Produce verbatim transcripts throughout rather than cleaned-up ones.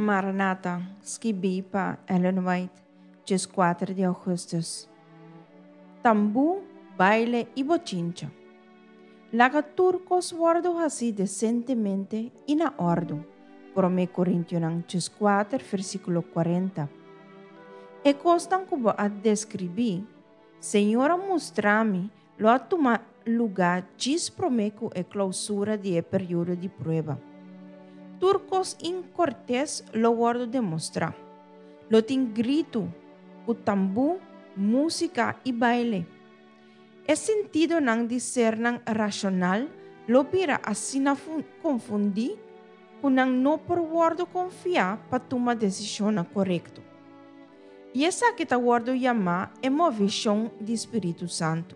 Maranata, skibí pa Ellen White, dieskuater di ougùstùs. Tambú, baile i bochincha. Laga tur kos wòrdu hasí desentemente i na òrdu. Promé Korintionan dieskuater, versíkulo kuarenta. E kosnan ku bo a deskribí, Señor a mustra mi, lo a tuma lugá djis promé ku e klousura di e periodo di prueba. Tur kos inkortes lo wòrdu demostrá. Lo tin gritu, ku tambú, músika i baile. E sentidonan di sernan rashonal lo bira asina konfundí ku nan no por wòrdu konfiá pa tuma desishonnan korekto. I esaki ta wòrdu yamá e movishon di Spiritu Santu.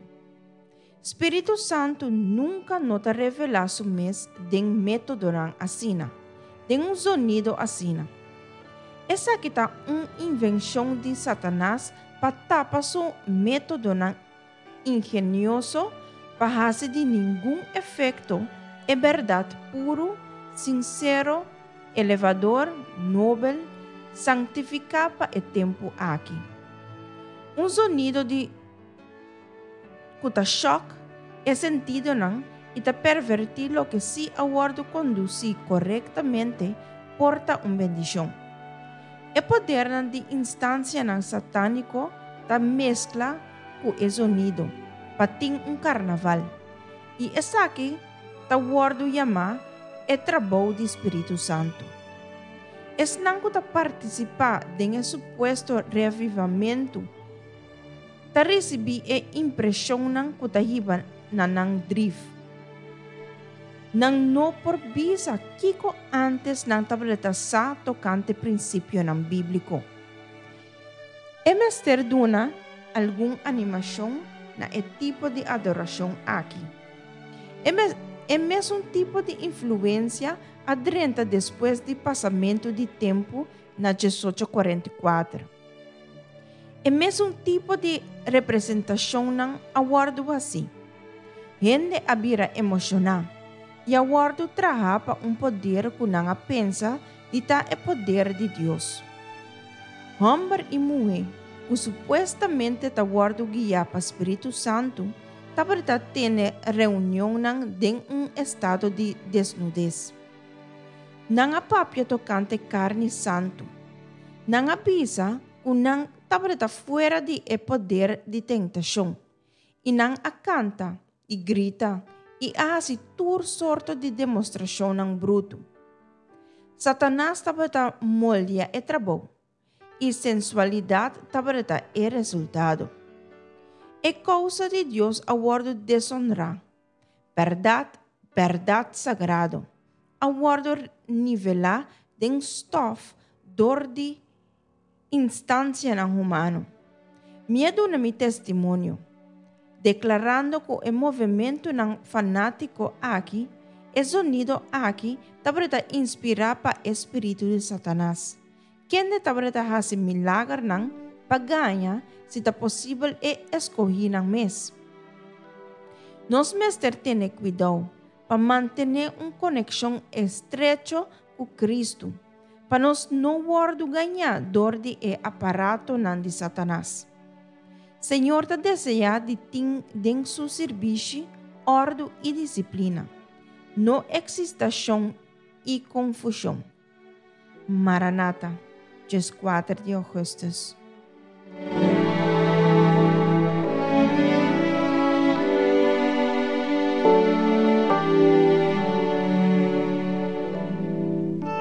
Spiritu Santu nunka no ta revelá su mes den métodonan asina, den un zonido asina. Esaki ta un invenshon di Satanas pa tapa su métodonan ingenioso pa hasi di ningun efekto e bèrdat puru, sinsero, elevador, nobel, sanktifiká pa e tempu aki. Un zonido di ku ta shòk e sentidonan i ta pervertí loke si a wòrdu kondusí korektamente por ta un bendishon. E podernan di instansianan satániko ta meskla ku e zonido pa tin un karnaval i esaki ta wòrdu yamá e trabou di Spiritu Santu. Esnan ku ta partisipá den e supuesto reavivamentu ta risibí e impreshonnan ku ta hiba na nan drif. Nan no por bisa kiko ántes nan tabata sa tokante prinsipionan bíbliko. E mester duna algun animashon na e tipo di adorashon aki. E, mes, e mesun tipo di influensia a drenta despues di pasamentu di tempu na diesocho kuarenta i kuater. E mesun tipo di representashonnan a wòrdu hasí. Hende a bira emoshoná i a wòrdu trahá pa un poder ku nan a pensa di ta e poder di Dios. Hòmber i muhé ku supuestamente ta wòrdu guiá pa Spiritu Santu tabata tene reunionnan den un estado di desnudes. Nan a papia tokante karni santu. Nan a bisa ku nan tabata fuera di e poder di tentashon. I nan a kanta i grita i a hasi tur sorto di demostrashonnan brutu. Satanas tabata moldia e trabou i sensualidat tabata e resultado. E kousa di Dios a wòrdu desonrá. Bèrdat, bèrdat sagrado, a wòrdu nivelá den stòf dor di instansianan humano. Mi a duna mi testimonio, deklarando ku e movementunan fanátiko aki, e zonido aki, tabata inspirá pa e spiritu di Satanas, kende tabata hasi milagernan pa gaña si ta posibel e eskohínan mes. Nos mester tene kuidou pa mantené un konekshon estrecho ku Kristu, pa nos no wòrdu gañá dor di e aparatonan di Satanas. Señor ta deseá di tin den su sirbishi òrdu i disiplina, no eksitashon i konfushon. Maranata, dieskuater di ougùstùs.